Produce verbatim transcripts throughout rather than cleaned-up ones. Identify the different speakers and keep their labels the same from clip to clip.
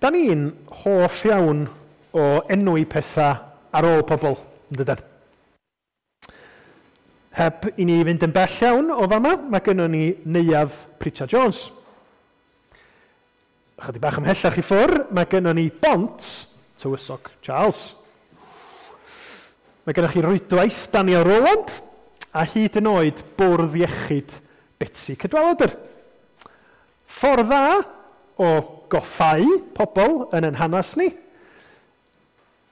Speaker 1: Da ni'n hoff iawn o enwi pethau ar ôl pobl, yn dydan? Heb i ni fynd yn bell iawn o fama, mae gynnon ni Neuadd Pritchard Jones. Chydig bach ymhellach i ffwr, mae gynnon ni Bont Tywysog Charles. Mae gennych chi rwydwaith Daniel Rowland a hyd yn oed Bwrdd Iechyd Betsi Cadwaladr. Ffordd dda o goffau pobl yn ein hanes ni,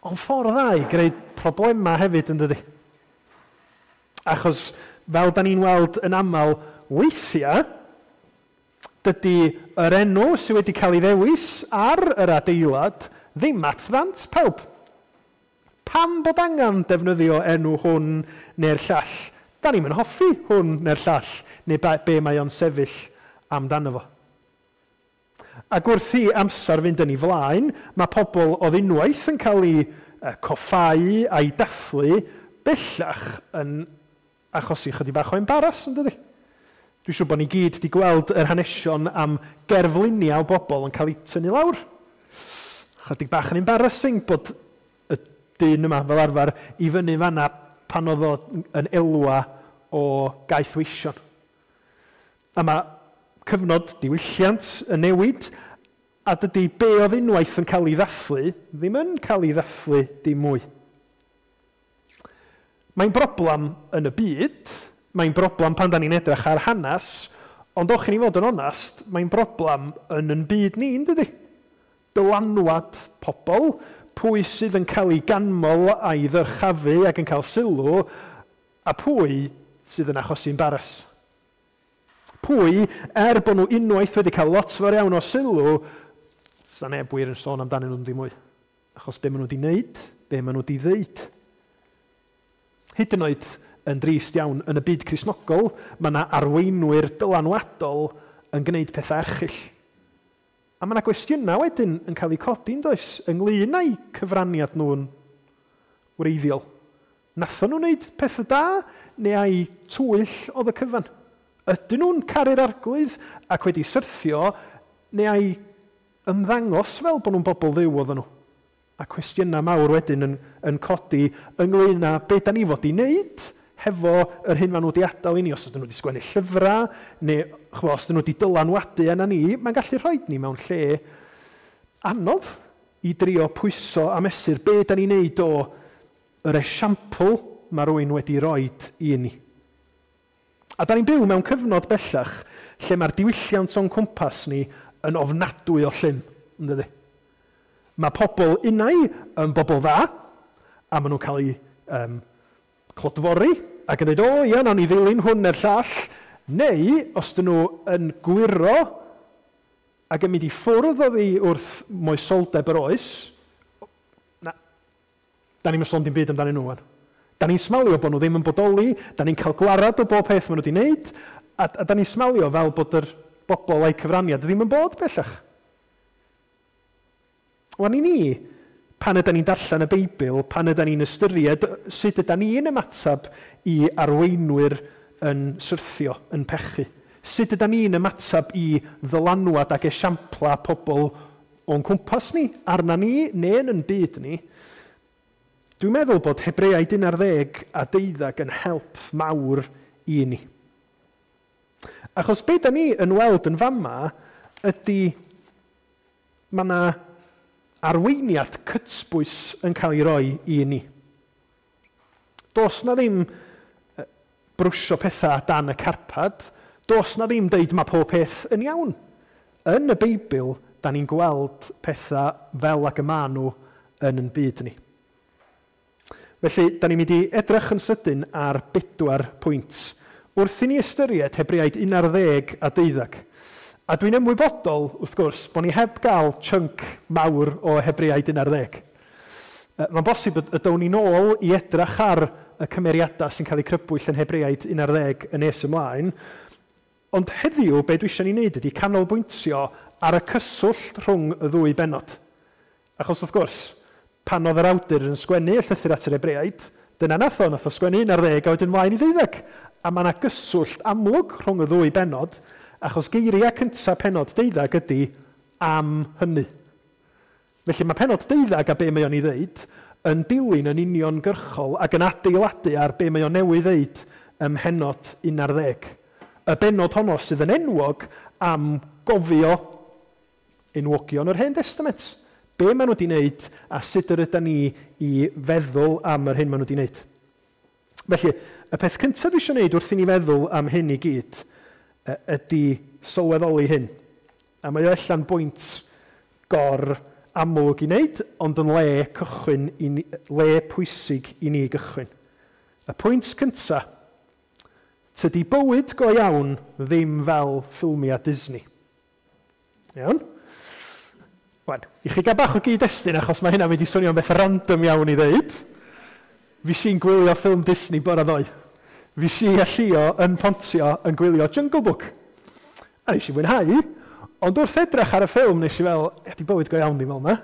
Speaker 1: ond ffordd dda i greu problemau hefyd, yn dydi? Achos fel da ni'n weld yn aml weithiau, dydy yr enw sydd wedi cael ei ddewis ar yr adeilad ddim at ddant pawb. Pam bod angen defnyddio enw hwn neu'r llall? Da ni'm yn hoffi hwn neu'r llall, neu be mae o'n sefyll amdano fo. Ac wrth i amser fynd yn ei flaen, mae pobl oedd unwaith yn cael eu coffáu a'i dathlu bellach yn achosi chydig bach o embaras, yn dydi? Dwi'n siŵr bod ni gyd wedi gweld yr hanesion am gerfluniau o bobl yn cael eu tynnu lawr. Chydig bach yn embarrassing bod y dyn yma fel arfer i fyny fanna pan oedd o yn elwa o gaethweision. A mae cyfnod diwylliant yn newid, a dydy be oedd unwaith yn cael ei ddathlu ddim yn cael ei ddathlu dim mwy. Mae'n broblem yn y byd, mae'n broblem pan da ni'n edrych ar hanes, ond o'ch i ni fod yn onast, mae'n broblem yn yn byd ni, yn dydy? Dylanwad pobl, pwy sydd yn cael ei ganmol a'i ddyrchafu ac yn cael sylw, a pwy sydd yn achosi embaras. Pwy, er bod nhw unwaith wedi cael lot fawr iawn o sylw, sa neb wir yn sôn amdanyn nhw'n dim mwy. Achos be maen nhw wedi wneud, be maen nhw wedi ddeud. Hyd yn oed yn drist iawn, yn y byd Cristnogol, mae yna arweinwyr dylanwadol yn gwneud pethau erchyll. A mae yna gwestiynau wedyn yn cael eu codi, yn does, ynglyn â'u cyfraniad nhw'n wreiddiol. Nathon nhw wneud pethau da, neu ai twyll oedd y cyfan? Ydyn nhw'n caru'r Arglwydd ac wedi syrthio, neu ai ymddangos fel bod nhw'n bobl Dduw oedden nhw? A cwestiynau mawr wedyn yn, yn codi ynglyn â be da ni fod i wneud hefo yr hyn maen nhw wedi adael i ni, os ydyn nhw wedi sgwennu llyfrau, neu chwa, os ydyn nhw wedi dylanwadu yna ni, mae'n gallu rhoi ni mewn lle anodd i drio pwyso a mesur be da ni'n neud o yr esiampl mae rhywun wedi roed i ni. A da ni'n byw mewn cyfnod bellach lle mae'r diwylliant o'n cwmpas ni yn ofnadwy o llym, yn dydi? Mae pobl unai yn bobl dda, a maen nhw'n cael eu um, clodfori, ac yn dweud, o ia, nawn ni ddilyn hwn neu'r llall, neu os dyn nhw yn gwyro ac yn mynd i ffwrdd oddi wrth moesoldeb yr oes, na, da ni'n sôn dim byd amdanyn nhw. Da ni'n smalio bod nhw ddim yn bodoli, da ni'n cael gwarad o bob peth maen nhw wedi wneud, a, a da ni'n smalio fel bod yr bobl a'i cyfraniad ddim yn bod bellach. Wan i ni, pan ydan ni'n darllen y Beibl, pan ydan ni'n ystyried sut ydan ni'n ymateb i arweinwyr yn syrthio, yn pechu. Sut ydan ni'n ymateb i ddylanwad ac esiampla pobl o'n cwmpas ni, arna ni, neu yn byd ni. Dwi'n meddwl bod Hebreaid un ar ddeg a deuddeg yn help mawr i ni. Achos be da ni yn weld yn fama ydy mae yna arweiniad cytbwys yn cael ei roi i ni. Does na ddim brwsio pethau dan y carpad, does na ddim deud mae pob peth yn iawn. Yn y Beibl, da ni'n gweld pethau fel ag y maen nhw yn yn byd ni. Felly, da ni'n mynd i edrych yn sydyn ar bedwar pwynt. Wrth i ni ystyried Hebreaid un ar ddeg a deuddeg. A dwi'n ymwybodol, wrth gwrs, bod ni heb gael chunk mawr o Hebreaid un ar ddeg. Mae'n bosib y down ni nôl i edrych ar y cymeriadau sy'n cael eu crybwyll yn Hebreaid un ar ddeg yn nes ymlaen. Ond heddiw, be dwi eisiau ni wneud ydy canolbwyntio ar y cyswllt rhwng y ddwy bennod. Achos, wrth gwrs, pan oedd yr awdur yn sgwennu y llythyr at yr Hebreaid, dyna nath o, nath o sgwennu un ar ddeg a wedyn mlaen i ddeuddeg. A mae yna gyswllt amlwg rhwng y ddwy bennod, achos geiriau cyntaf pennod deuddeg ydy am hynny. Felly mae penod deuddag a be mae o'n ei ddeud yn dilyn yn uniongyrchol ac yn adeiladu ar be mae o'n newydd ddeud ym mhennod un ar ddeg. Y bennod honno sydd yn enwog am gofio enwogion yr Hen Testament. Be maen nhw wedi wneud a sut yr ydyn ni i feddwl am yr hyn maen nhw wedi wneud. Felly, y peth cyntaf dwi eisiau wneud wrth i ni feddwl am hyn i gyd ydy sylweddoli hyn. A mae o allan bwynt gor amlwg i wneud, ond yn le cychwyn i ni, le pwysig i ni gychwyn. Y pwynt cyntaf, tydi bywyd go iawn ddim fel ffilmiau Disney. Iawn? Wan, i chi gael bach o gyd-destun, achos mae hynna'n mynd i swnio'n beth random iawn i ddeud. Fi si'n gwylio ffilm Disney bore ddoe. Fi si a Llio yn Pontio yn gwylio Jungle Book. A nes i fwynhau, ond wrth edrych ar y ffilm nes i fel, ydy bywyd go iawn ddim fel yna.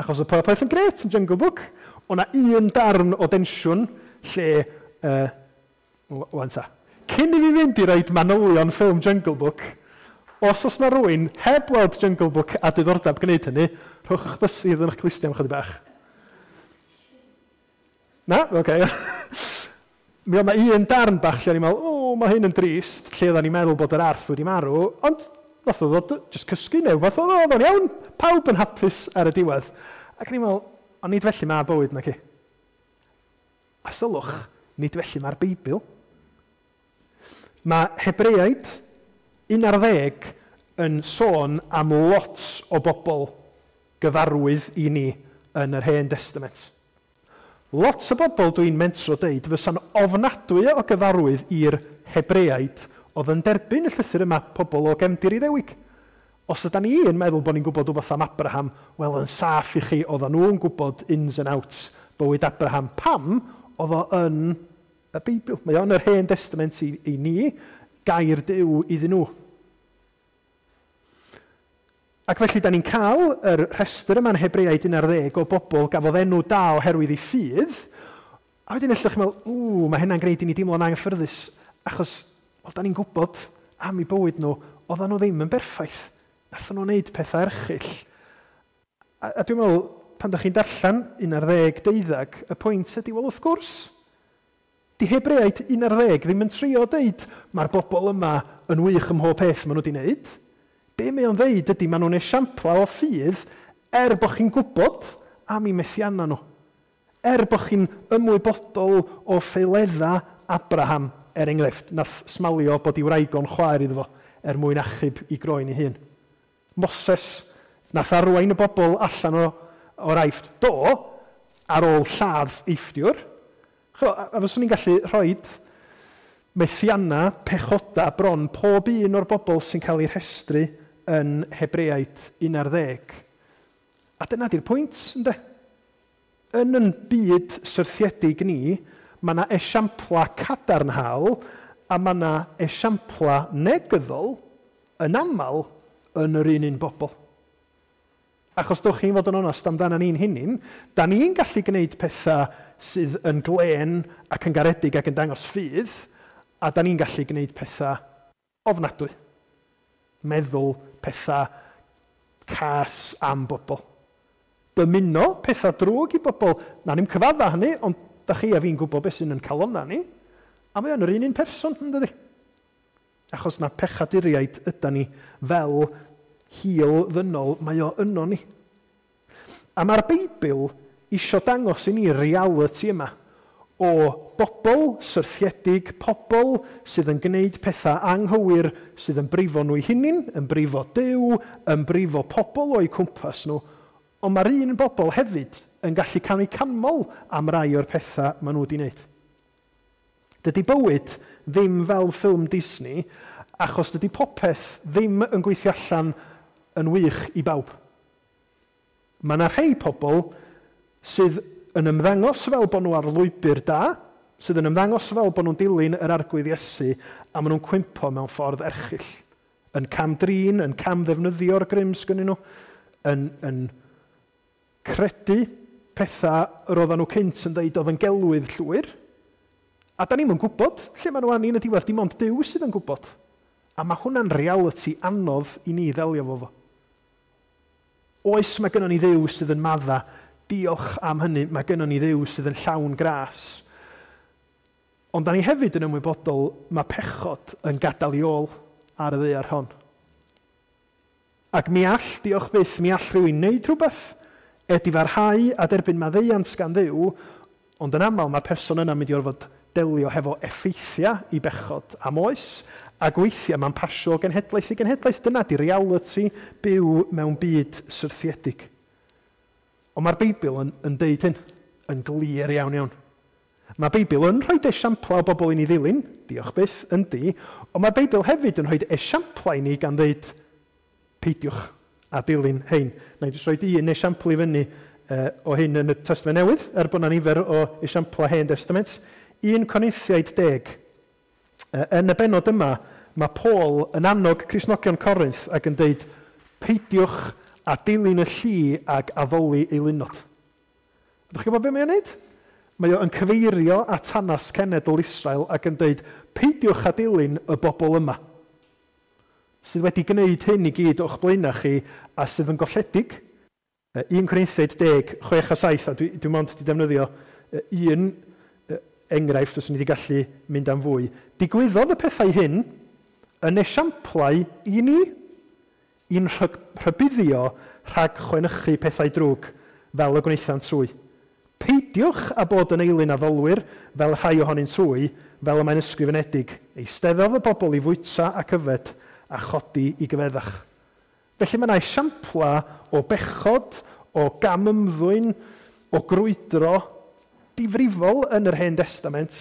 Speaker 1: Achos oedd popeth yn grêt yn Jungle Book. O' 'na un darn o densiwn lle, uh, wan ta, cyn i fi fynd i roid manylion ffilm Jungle Book, os oes na rywun heb weld Jungle Book a diddordeb gwneud hynny, rhowch eich bysedd yn eich clustiau am chydig bach. Na? Oce. Okay. Mi oedd 'na un darn bach lle o'n i'n meddwl, o, mae hyn yn drist, lle oedden ni'n meddwl bod yr arth wedi marw, ond nath o ddod jyst cysgu neu fath oedd o'n iawn, pawb yn hapus ar y diwedd. Ac o'n i'n meddwl, ond nid felly mae bywyd naci. A sylwch, nid felly mae'r Beibl. Mae Hebreaid un ar ddeg yn sôn am lot o bobl gyfarwydd i ni yn yr Hen Testament. Lot o bobl dwi'n mentro deud fysa'n ofnadwy o gyfarwydd i'r Hebreaid oedd yn derbyn y llythyr yma, pobl o gefndir Iddewig. Os ydan ni yn meddwl bod ni'n gwybod rhywbeth am Abraham, wel yn saff i chi, oedden nhw'n gwybod ins and outs bywyd Abraham. Pam oedd o yn y Beibl? Mae o yn yr Hen Testament i, i ni, gair Duw iddyn nhw. Ac felly, da ni'n cael yr rhestr yma'n Hebreaid un ar ddeg o bobl gafodd enw da oherwydd eu ffydd, a wedyn ella chi'n meddwl, ww, mae hynna'n gwneud i ni deimlo'n anghyffyrddus, achos, wel, da ni'n gwybod am eu bywyd nhw, oedden nhw ddim yn berffaith. Nathon nhw wneud pethau erchyll. A, a dwi'n meddwl, pan da chi'n darllen un ar ddeg deuddag, y pwynt ydy, wel, wrth gwrs, di Hebreaid un ar ddeg ddim yn trio deud, mae'r bobl yma yn wych ym mhob peth maen nhw wedi wneud. Be mae o'n ddeud ydy, maen nhw'n esiamplau o ffydd er bod chi'n gwybod am eu methiannau nhw. Er bod chi'n ymwybodol o ffaeledda Abraham, er enghraifft, nath smalio bod ei wraig o'n chwaer iddo fo er mwyn achub i groen ei hun. Moses nath arwain y bobl allan o, o'r Aifft, do, ar ôl lladd Eifftiwr. Ch'mo, a, a fyswn i'n gallu rhoi methiannau, pechoda bron pob un o'r bobl sy'n cael ei rhestru yn Hebreaid un ar ddeg. A dyna di'r pwynt, ynde? Yn yn byd syrthiedig ni, mae yna esiampla cadarnhaol a mae yna esiampla negyddol yn aml yn yr un un bobl. Achos dwch chi'n fod yn onast amdano ni'n hunain, da ni'n gallu gwneud pethau sydd yn glên ac yn garedig ac yn dangos ffydd, a da ni'n gallu gwneud pethau ofnadwy. Meddwl pethau cas am bobl. Dymuno pethau drwg i bobl. Na ni'n cyfadda hynny, ond da chi a fi'n gwybod beth sy'n yn calonna ni. A mae o'n yr un un person, yn dydi? Achos na pechaduriaid yda ni fel hil ddynol, mae o yno ni. A mae'r Beibl isio dangos i ni reality yma o bobl syrthiedig, pobl sydd yn gwneud pethau anghywir, sydd yn brifo nhw eu hunain, yn brifo Duw, yn brifo pobl o'u cwmpas nhw. Ond mae'r un bobl hefyd yn gallu cael eu canmol am rai o'r pethau maen nhw wedi wneud. Dydy bywyd ddim fel ffilm Disney, achos dydy popeth ddim yn gweithio allan yn wych i bawb. Mae yna rhai pobl sydd yn ymddangos fel bod nhw ar lwybr da, sydd yn ymddangos fel bod nhw'n dilyn yr Arglwydd Iesu, a maen nhw'n cwympo mewn ffordd erchyll. Yn cam-drin, yn cam-ddefnyddio'r grym sgynnyn nhw, yn, yn credu pethau yr oedden nhw cynt yn dweud oedd yn gelwydd llwyr. A da ni'm yn gwybod lle maen nhw arni yn y diwedd, dim ond Duw sydd yn gwybod. A mae hwnna'n reality anodd i ni ddelio fo fo. Oes, mae gynnon ni Dduw sydd yn madda. Diolch am hynny, mae gynnon ni Dduw sydd yn llawn gras. Ond da ni hefyd yn ymwybodol mae pechod yn gadael i ôl ar y ddaear hon. Ac mi all, diolch byth, mi all rhywun wneud rhywbeth, edifarhau a derbyn maddeuant gan Dduw, ond yn aml mae'r person yna'n mynd i orfod delio hefo effeithiau i bechod am oes, ac weithiau mae'n pasio o genhedlaeth i genhedlaeth. Dyna di reality byw mewn byd syrthiedig. Ond mae'r Beibl yn, yn deud hyn, yn glir iawn iawn. Mae'r Beibl yn rhoi esiamplau o bobl i ni ddilyn, diolch byth, yndi, ond mae'r Beibl hefyd yn rhoi esiamplau i ni gan ddeud, peidiwch a dilyn hein. Na i jyst rhoi un esiampl i fyny uh, o hyn yn y Testament Newydd, er bod yna nifer o esiamplau Hen Testament. Un Corinthiaid deg. Yn y bennod yma, mae Paul yn annog Cristnogion Corinth ac yn deud, peidiwch a dilyn y lli ag addoli eilunod. Ydych chi'n gwybod beth mae'n neud? Mae o'n cyfeirio at hanes cenedl Israel ac yn deud, peidiwch a dilyn y bobl yma, sydd wedi gwneud hyn i gyd o'ch blaenau chi a sydd yn golledig. un Corinthiaid deg, chwech a saith, a dwi, dwi mond wedi defnyddio un enghraifft os ni wedi gallu mynd am fwy. Digwyddodd y pethau hyn yn esiamplau i ni, i'n rhybuddio rhag chwenychu pethau drwg fel y gwnaethant hwy. Peidiwch â bod yn eilun addolwyr fel rhai ohonynt hwy, fel y mae'n ysgrifenedig. Eisteddodd y bobl i fwyta ac yfed a chodi i gyfeddach. Felly mae yna esiamplau o bechod, o gamymddwyn, o grwydro difrifol yn yr Hen Testament.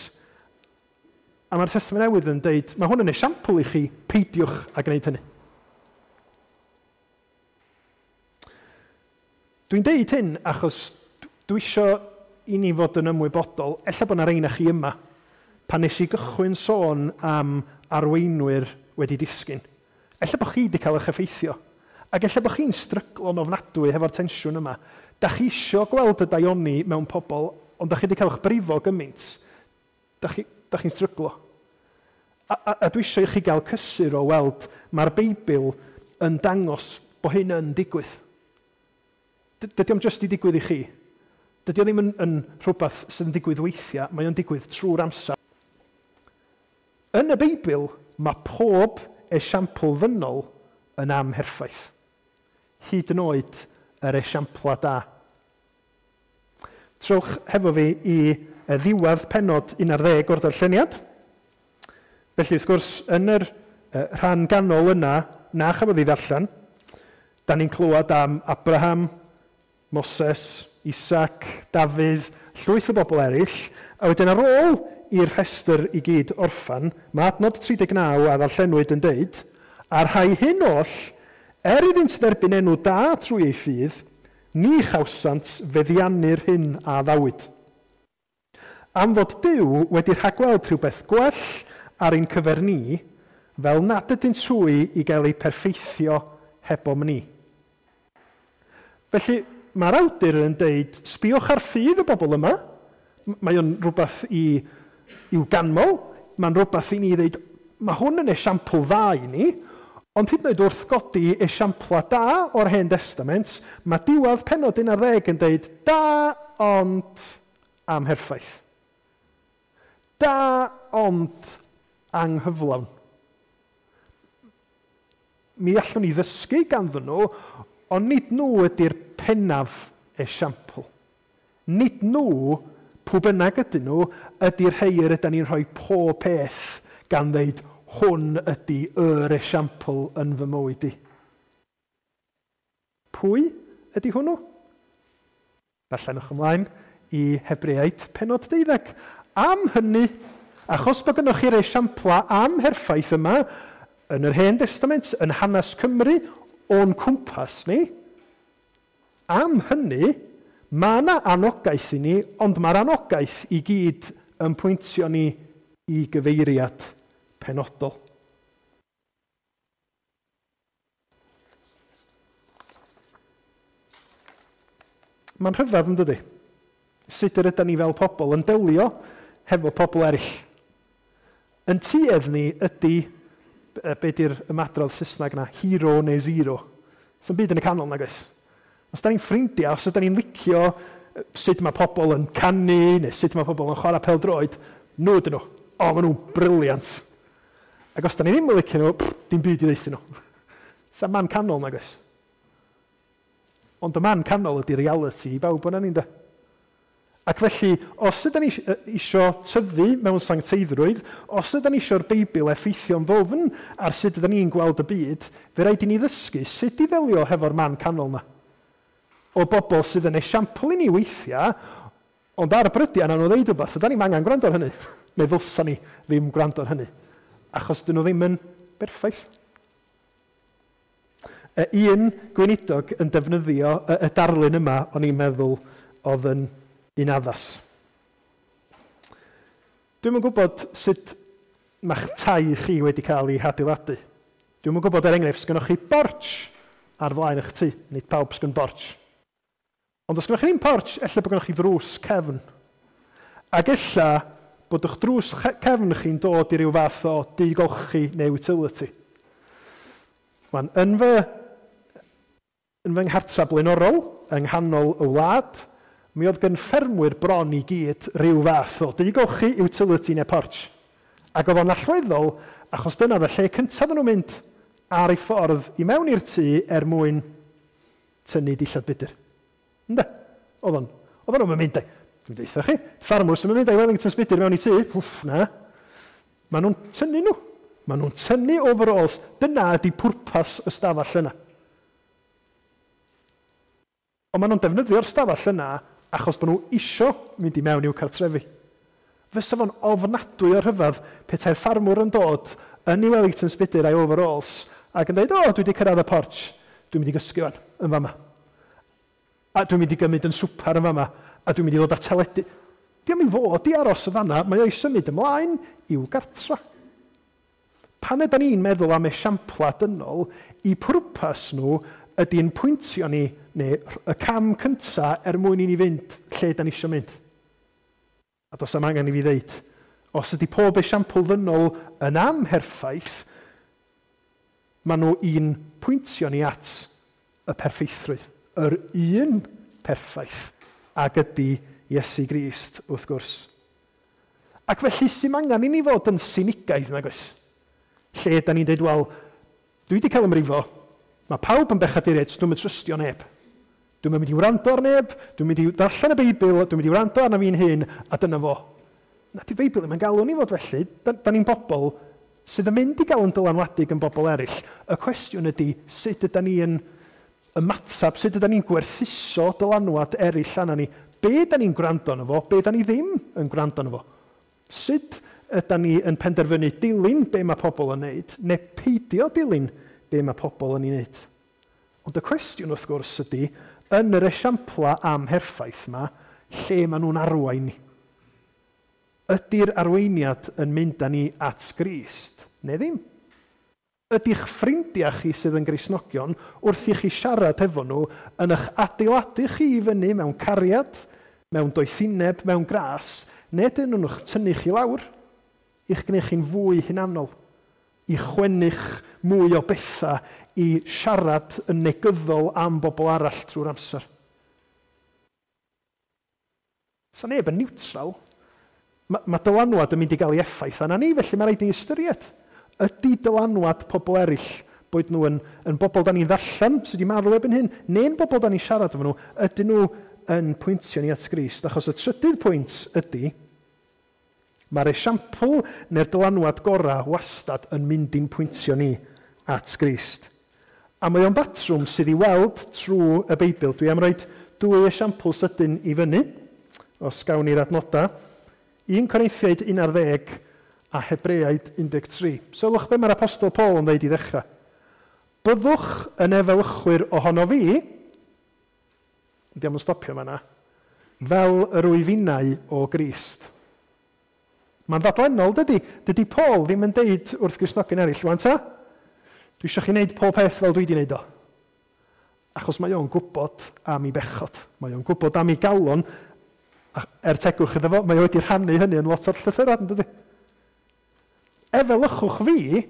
Speaker 1: A mae'r Testament Newydd yn deud, mae hwn yn esiampl i chi, peidiwch a gwneud hynny. Dwi'n deud hyn achos dwi isio i ni fod yn ymwybodol, ella bod yna rheina chi yma, pan nes i gychwyn sôn am arweinwyr wedi disgyn. Ella bod chi wedi cael eich effeithio, ac ella bod chi'n stryglo'n ofnadwy hefo'r tensiwn yma. Da chi isio gweld y daioni mewn pobl, ond da chi wedi cael eich brifo gymaint. Da chi, da chi'n stryglo. A, a, a dwi eisiau i chi gael cysur o weld mae'r Beibl yn dangos bod hyn yn digwydd. Dydy o'm jyst i digwydd i chi. Dydy o ddim yn, yn rhywbeth sydd yn digwydd weithiau, mae o'n digwydd trwy'r amser. Yn y Beibl, mae pob esiampl ddynol yn amherffaith. Hyd yn oed yr esiamplau da. Trowch hefo fi i ddiwedd pennod un ar ddeg o'r darlleniad. Felly, wrth gwrs, yn yr rhan ganol yna, na chafodd ei ddarllen, da ni'n clywed am Abraham, Moses, Isaac, Dafydd, llwyth o bobl eraill, a wedyn ar ôl i'r rhestr i gyd orffan, mae adnod tri deg naw a ddarllenwyd yn deud, a'r rhai hyn oll, er iddynt dderbyn enw da trwy ei ffydd, ni chawsant feddiannu'r hyn a addawyd. Am fod Duw wedi rhagweld rhywbeth gwell ar ein cyfer ni, fel nad ydynt hwy i gael eu perffeithio hebom ni. Felly, mae'r awdur yn deud, sbïwch ar ffydd y bobl yma. Mae o'n rhywbeth i, i'w ganmol, mae'n rhywbeth i ni ddeud, mae hwn yn esiampl dda i ni, ond hyd yn oed wrth godi esiamplau da o'r Hen Testament, mae diwedd pennod un ar ddeg yn deud, da ond amherffaith. Da ond anghyflawn. Mi allwn ni ddysgu ganddyn nhw, ond nid nhw ydy'r pennaf esiampl. Nid nhw, pwy bynnag ydyn nhw, ydy'r rhai yr ydyn ni'n rhoi pob peth gan ddeud, hwn ydy yr esiampl yn fy mywyd i. Pwy ydy hwnnw? Darllenwch ymlaen i Hebreaid pennod deuddeg. Am hynny, achos bod gynnwch chi'r esiamplau amherffaith yma, yn yr Hen Testament, yn hanes Cymru, o'n cwmpas ni, am hynny, mae yna anogaeth i ni, ond mae'r anogaeth i gyd yn pwyntio ni i gyfeiriad penodol. Mae'n rhyfedd, yn dydi? Sut yr ydyn ni fel pobl yn delio hefo pobl eraill. Yn tuedd ni ydy, be di'r ymadrodd Saesneg yna, hero neu zero. Sa'm byd yn y canol, nag oes? Os da ni'n ffrindiau, os ydyn ni'n licio sut mae pobl yn canu, neu sut mae pobl yn chwarae pêl-droed, nhw ydyn nhw. O, maen nhw'n brilliant. Ac os da ni ddim yn licio nhw, pff, dim byd i ddeutha nhw. Sa'n man canol, nag oes? Ond y man canol ydy reality i bawb o'n ni'n de. Ac felly, os ydyn ni isio tyfu mewn sancteiddrwydd, os ydyn ni isio'r Beibl effeithio'n ddofn ar sut ydyn ni'n gweld y byd, fe rhaid i ni ddysgu sut i ddelio hefo'r man canol na. O bobl sydd yn esiampl i ni weithiau, ond ar y brydiau na nhw ddeud rhywbeth, ydyn ni'n angen gwrando ar hynny. Neu ddylsa ni ddim gwrando ar hynny. Achos dyn nhw ddim yn berffaith. Y un gweinidog yn defnyddio y, y darlun yma, o'n i'n meddwl oedd yn un addas. Dwi'm yn gwybod sut mae'ch tai chi wedi cael ei hadeiladu. Dwi'm yn gwybod, er enghraifft, sgynnoch chi borch ar flaen eich tŷ. Nid pawb sgyn borch. Ond os gynnoch chi ddim porch, ella bod gynnoch chi ddrws cefn. Ac ella bod eich drws cefn chi'n dod i ryw fath o dŷ golchi neu utility. Wan, yn fy, yn fy nghartra blaenorol, yng nghanol y wlad, mi oedd gen ffermwyr bron i gyd rhyw fath o dŷ golchi, utility neu porch. Ac oedd o'n allweddol, achos dyna oedd y lle cyntaf nhw'n mynd ar ei ffordd i mewn i'r tŷ er mwyn tynnu dillad budr. Ynde? Oedd o'n, oedd nhw'n mynd, dwi'n deutha chi, ffarmwr sy'n mynd â'i Wellingtons budr mewn i tŷ, wff, na. Maen nhw'n tynnu nhw. Maen nhw'n tynnu overalls. Dyna ydy pwrpas y stafell yna. Ond maen nhw'n defnyddio'r stafell yna achos bod nhw isio mynd i mewn i'w cartrefi. Fysa fo'n ofnadwy o rhyfedd petai'r ffarmwr yn dod yn ei Wellingtons budr a'i overalls ac yn dweud, o, dwi wedi cyrraedd y porch, dwi'n mynd i gysgu fan, yn fama. A dwi'n mynd i gymryd yn swpar yn fama, a dwi'n mynd i ddod â teledu. Diolch i fod i aros y fanna, mae o'i symud ymlaen i'w gartra. Pan ydan ni'n meddwl am esiampla dynol, i pwrpas nhw ydy'n pwyntio ni, neu y cam cyntaf er mwyn i ni fynd lle da ni eisiau mynd. A does am angen i fi ddeud, os ydy pob esiampl ddynol yn amherffaith, maen nhw i'n pwyntio ni at y perffeithrwydd. Yr un perffaith ag ydy Iesu Grist, wrth gwrs. Ac felly, sy'n angen i ni fod yn sinigaidd, nag oes? Lle da ni'n dweud, wel, dwi wedi cael ymrifo, mae pawb yn bechaduriaid, so dwi'm yn trystio neb. Dwi'm yn mynd i wrando ar neb, dwi'n mynd i ddarllen y Beibl, dwi'n mynd i wrando arna fi'n hun, a dyna fo. Na, di'r Beibl ddim yn galw ni fod felly. Da, da ni'n bobl sydd yn mynd i gael yn dylanwadu gan bobl eraill. Y cwestiwn ydy, sut ydy ni yn ymatab, sut ydy ni'n gwerthuso dylanwad eraill arna ni? Be da ni'n gwrando arno fo, be da ni ddim yn gwrando arno fo? Sut ydy ni yn penderfynu dilyn be mae pobl yn neud, neu peidio dilyn be mae pobl yn ei wneud? Ond y cwestiwn wrth gwrs ydy, yn yr esiampla amherffaith yma, lle maen nhw'n arwain ni? Ydy'r arweiniad yn mynd â ni at Grist, neu ddim? Ydy'ch ffrindiau chi sydd yn Gristnogion, wrth i chi siarad efo nhw, yn eich adeiladu chi i fyny mewn cariad, mewn doethineb, mewn gras, neu dyn nhw'n eich tynnu chi lawr, i'ch gwneud chi'n fwy hunanol, i chwennych mwy o bethau, i siarad yn negyddol am bobl arall trwy'r amser. Sa neb yn neutral. Mae, mae dylanwad yn mynd i gael ei effaith arna ni, felly mae rhaid i ni ystyried. Ydy dylanwad pobl eraill, boed nhw yn, yn bobl da ni'n ddarllen sydd wedi marw erbyn hyn, neu'n bobl da ni'n siarad efo nhw, ydyn nhw yn pwyntio ni at Grist? Achos y trydydd pwynt ydy, mae'r esiampl neu'r dylanwad gorau wastad yn mynd i'n pwyntio ni at Grist. A mae o'n batrwm sydd i weld trwy y Beibl. Dwi am roi dwy esiampl sydyn i fyny, os gawn ni'r adnodau. un Corinthiaid un ar ddeg a Hebreaid un deg tri. Sylwch be mae'r Apostol Paul yn dweud i ddechrau. Byddwch yn efelychwyr ohono fi, diolch yn stopio fan'na, fel yr wyf innau o Grist. Mae'n ddadlennol, dydy. Dydy Paul ddim yn deud wrth Gristnogion eraill, wan ta, dwi eisiau chi wneud pob peth fel dwi wedi wneud o. Achos mae o'n gwybod am ei bechod. Mae o'n gwybod am ei galon, er tegwch iddo fo, mae o wedi rhannu hynny yn lot o'r llythyrau, yn dydy? Efelychwch fi,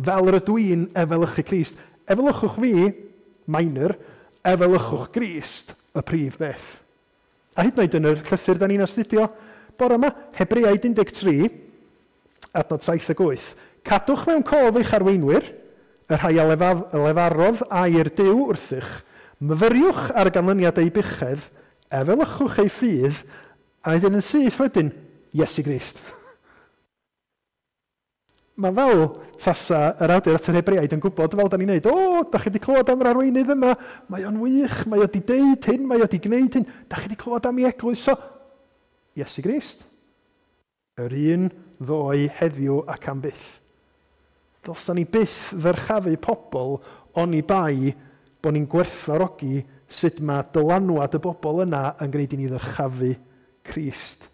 Speaker 1: fel yr ydw i'n efelychu Crist. Efelychwch fi, minor, efelychwch Grist y prif beth. A hyd yn oed yn yr llythyr da ni'n astudio bore yma, Hebreaid un deg tri, adnod saith ag wyth. Cadwch mewn cof eich arweinwyr, y rhai a lefarodd air Duw wrthych, myfyriwch ar ganlyniad eu buchedd, efelychwch eu ffydd, a wedyn yn syth wedyn, Iesu Grist. Mae fel tasa yr awdur at yr Hebreaid yn gwybod fel da ni'n neud, o, da chi wedi clywed am yr arweinydd yma, mae o'n wych, mae o wedi deud hyn, mae o wedi gwneud hyn, da chi wedi clywed am ei eglwys o. Iesu Grist. Yr un ddoe heddiw ac am byth. Dylsan ni byth ddyrchafu pobl oni bai bod ni'n gwerthfawrogi sut mae dylanwad y bobl yna yn gwneud i ni ddyrchafu Crist.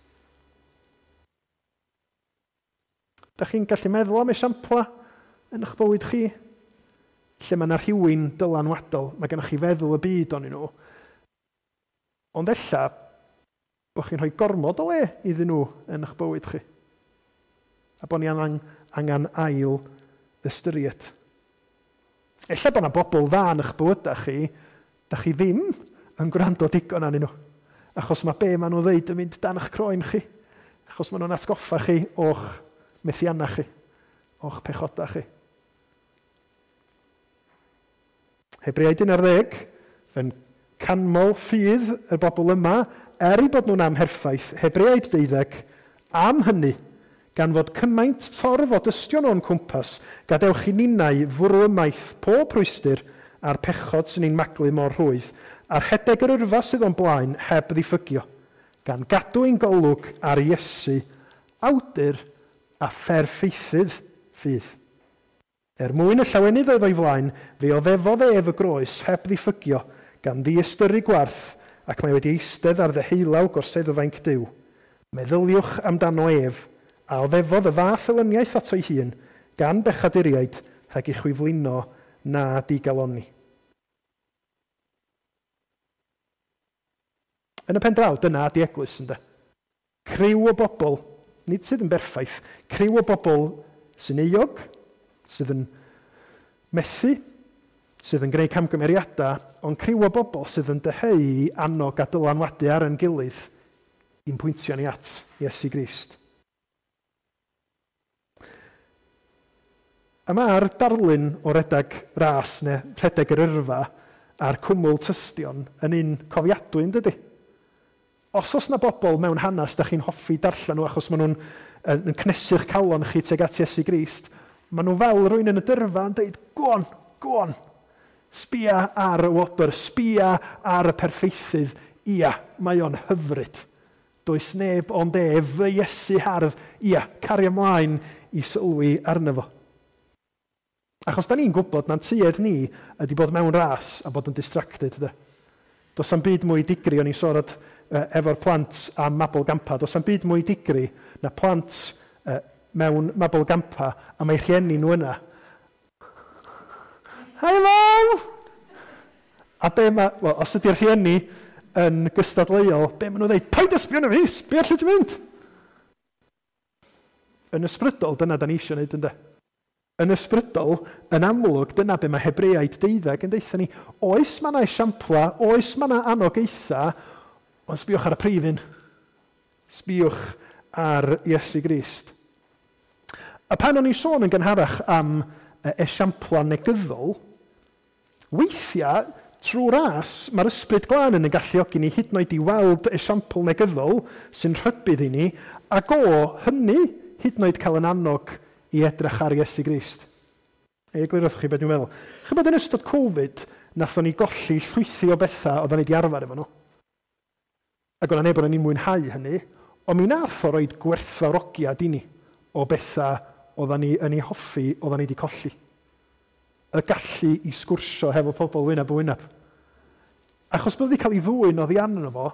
Speaker 1: Da chi'n gallu meddwl am esiampla yn eich bywyd chi? Lle mae yna rhywun dylanwadol, mae gennych chi feddwl y byd onyn nhw. Ond ella bod chi'n rhoi gormod o le iddyn nhw yn eich bywyd chi. A bod ni angen, angen ail ystyried. Ella bod yna bobl dda yn eich bywydau chi, da chi ddim yn gwrando digon arnyn nhw. Achos mae be maen nhw'n ddeud yn mynd dan eich croen chi. Achos maen nhw'n atgoffa chi o'ch methiannau chi, o'ch pechodau chi. Hebreaid un ar ddeg yn canmol ffydd y bobl yma, er eu bod nhw'n amherffaith, Hebreaid deuddeg, am hynny, gan fod cymaint torf o dystion o'n cwmpas, gadewch i ninnau fwrw ymaith pob rhwystr a'r pechod sy'n ein maglu mor rhwydd, a'r rhedeg yr yrfa sydd o'n blaen heb ddiffygio, gan gadw ein golwg ar Iesu, awdur a pherffeithydd ffydd. Er mwyn y llawenydd oedd o'i flaen, fe oddefodd ef y groes heb ddiffygio, gan ddiystyru gwarth, ac mae wedi eistedd ar ddeheulaw gorseddfainc Duw. Meddyliwch amdano ef, a oddefodd y fath elyniaeth ato'i hun, gan bechaduriaid, rhag i chwi flino na digalonni. Yn y pen draw, dyna ydi eglwys, ynde. Criw o bobl, nid sydd yn berffaith, criw o bobl sy'n euog, sydd yn methu, sydd yn gwneud camgymeriadau, ond criw o bobl sydd yn dyheu i annog a dylanwadu ar ein gilydd i'n pwyntio ni at Iesu Grist. A mae'r darlun o redeg ras neu rhedeg yr yrfa a'r cwmwl tystion yn un cofiadwy, yn dydy? Os oes na bobl mewn hanes da chi'n hoffi darllen nhw achos maen nhw'n yn cnesu'ch calon chi tuag at Iesu Grist, maen nhw fel rhywun yn y dyrfa yn dweud, go on, go on, sbia ar y wobr, sbia ar y perffeithydd, ia, mae o'n hyfryd. Does neb ond ef, fy Iesu hardd, ia, cario ymlaen i sylwi arno fo. Achos da ni'n gwybod na'n tuedd ni ydy bod mewn ras a bod yn distracted. De. Does am byd mwy digri, o'n i'n siarad efo'r plant am mabolgampa, does am byd mwy digri na plant mewn mabolgampa a mae rhieni nhw yna. Hi Mam! A be ma, well, os ydy'r rhieni yn gystadleuol, be maen nhw'n dweud? Paid â sbio arna fi, sbio lle ti'n mynd! Yn ysbrydol, dyna da ni eisiau gwneud, ynde? Yn ysbrydol, yn amlwg, dyna be mae Hebreaid deuddeg yn deutha ni. Oes mae yna esiampla, oes mae yna anogaetha, ond sbiwch ar y prif un. Sbiwch ar Iesu Grist. A pan o'n i'n sôn yn gynharach am esiampla negyddol, weithiau, trwy ras, mae'r ysbryd glân yn ein galluogi ni hyd yn oed i weld esiampl negyddol sy'n rhybudd i ni, ac o hynny hyd yn oed cael yn annog i edrych ar Iesu Grist. Ei eglurwch chi beth dwi'n meddwl. Chybod yn ystod Covid, nathon ni golli llwythi o bethau oedden ni wedi arfer efo nhw. Ac o'na neb o'n ni'n mwynhau hynny, ond mi nath o roed gwerthfawrogiad i ni o bethau oedden ni yn ei hoffi, oedden ni wedi colli. Y gallu i sgwrsio hefo pobl wyneb yn wyneb. Achos bod wedi cael ei ddwyn oddi arno fo,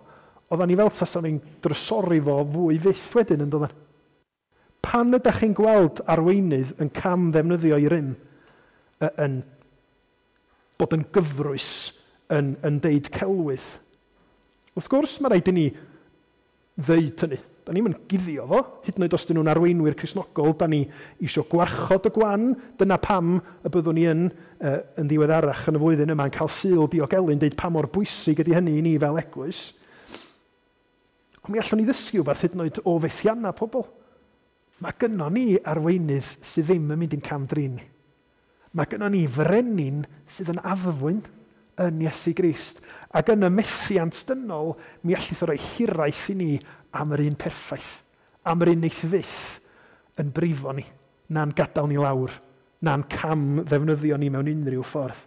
Speaker 1: oedden ni fel tasan ni'n drysori fo fwy fyth wedyn yn doedden. Pan ydych chi'n gweld arweinydd yn cam ddefnyddio ei rym, yn bod yn gyfrwys, yn, yn deud celwydd, wrth gwrs mae rhaid i ni ddeud hynny. Da ni'n mynd guddio fo, hyd yn oed os dyn nhw'n arweinwyr Cristnogol, da ni eisiau gwarchod y gwan. Dyna pam y byddwn ni yn, uh, yn ddiweddarach yn y flwyddyn yma yn cael Sul Diogelu'n deud pa mor bwysig ydy hynny i ni fel eglwys. Ond mi allwn ni ddysgu wbeth hyd yn oed o fethiannau pobl. Mae gynnon ni arweinydd sydd ddim yn mynd i'n cam-drin ni. Mae gynnon ni frenin sydd yn addfwyn yn Iesu Grist. Ac yn y methiant dynol, mi allith o roi hiraeth i ni am yr un perffaith, am yr un neith fyth yn brifo ni, na'n gadael ni lawr, na'n cam ddefnyddio ni mewn unrhyw ffordd.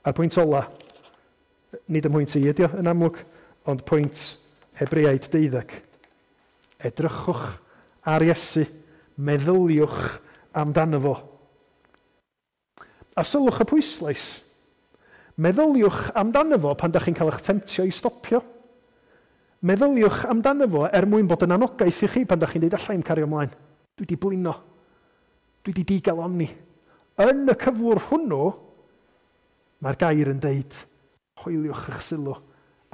Speaker 1: A'r pwynt ola, nid ym mhwynt i ydi o yn amlwg, ond pwynt Hebreaid deuddeg. Edrychwch ar Iesu, meddyliwch amdano fo. A sylwch y pwyslais. Meddyliwch amdano fo pan dach chi'n cael eich temtio i stopio. Meddyliwch amdano fo er mwyn bod yn anogaeth i chi pan dach chi'n dweud alla i'm cario ymlaen. Dwi wedi blino. Dwi wedi digalonni. Yn y cyflwr hwnnw, mae'r gair yn deud, hoeliwch eich sylw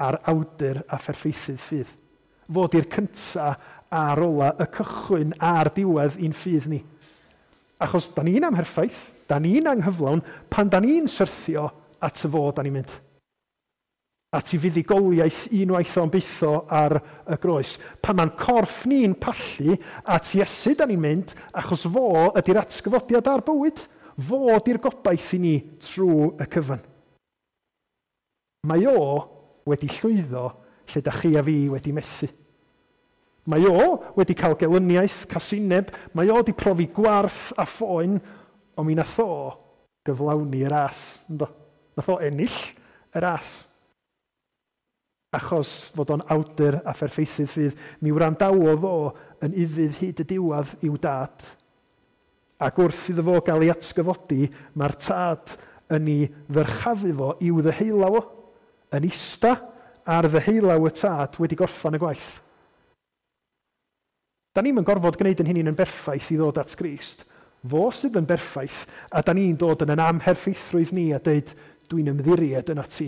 Speaker 1: ar awdur a pherffeithydd ffydd. Fod i'r cynta a'r ola, y cychwyn a'r diwedd i'n ffydd ni. Achos da ni'n amherffaith, da ni'n anghyflawn, pan da ni'n syrthio at y fo da ni'n mynd. At i fuddugoliaeth unwaith o'n bytho ar y groes. Pan mae'n corff ni'n pallu, at Iesu da ni'n mynd, achos fo ydy'r atgyfodiad a'r bywyd. Fo ydy'r gobaith i ni trwy y cyfan. Mae o wedi llwyddo lle da chi a fi wedi methu. Mae o wedi cael gelyniaeth, casineb, mae o wedi profi gwarth a phoen, ond mi nath o gyflawni y ras. Ynddo? Nath o ennill y ras. Achos fod o'n awdur a pherffeithydd ffydd, mi wrandawodd o yn ufudd hyd y diwedd i'w dad. Ac wrth iddo fo gael ei atgyfodi, mae'r tad yn ei ddyrchafu fo i'w ddeheulaw o, yn ista ar ddeheulaw y tad wedi gorffan y gwaith. Da ni'm yn gorfod gwneud yn hynny'n yn berffaith i ddod at Grist. Fo sydd yn berffaith, a da ni'n dod yn yn amherffeithrwydd ni a deud, dwi'n ymddiried yna ti.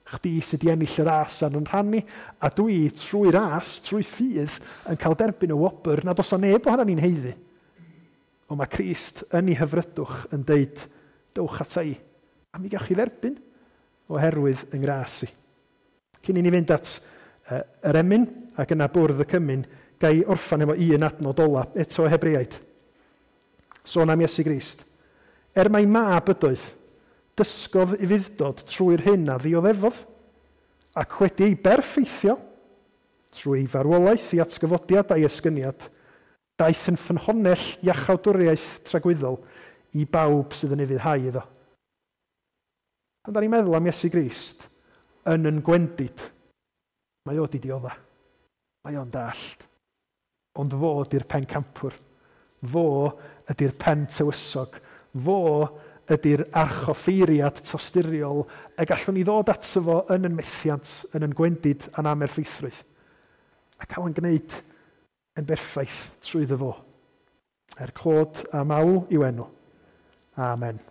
Speaker 1: Chdi sydd wedi ennill y ras ar yn rhan ni, a dwi trwy ras, trwy ffydd, yn cael derbyn y wobr nad oes neb ohonan ni'n haeddu. Ond mae Crist yn ei hyfrydwch yn deud, dowch ata i, a mi gewch chi dderbyn oherwydd yng ngras i. Cyn i ni fynd at uh, yr emyn ac yna bwrdd y cymun, gai orffan efo un adnod ola, eto Hebreaid. Sôn am Iesu Grist. Er mai mab ydoedd, dysgodd ufudd-dod trwy'r hyn a ddioddefodd, ac wedi ei berffeithio trwy farwolaeth i atgyfodiad a'i esgyniad, daeth yn ffynhonnell iachawdwriaeth tragwyddol i bawb sydd yn ufuddhau iddo. Pan da ni'n meddwl am Iesu Grist, yn yn gwendid, mae o di diodda, mae o'n dallt. Ond fo ydy'r pencampwr, fo ydy'r pen tywysog, fo ydy'r archoffeiriad tosturiol y gallwn ni ddod ato fo yn yn methiant, yn yn gwendid a'n amerffeithrwydd. A cael yn gwneud yn berffaith trwyddo fo. Er clod a mawl i'w enw. Amen.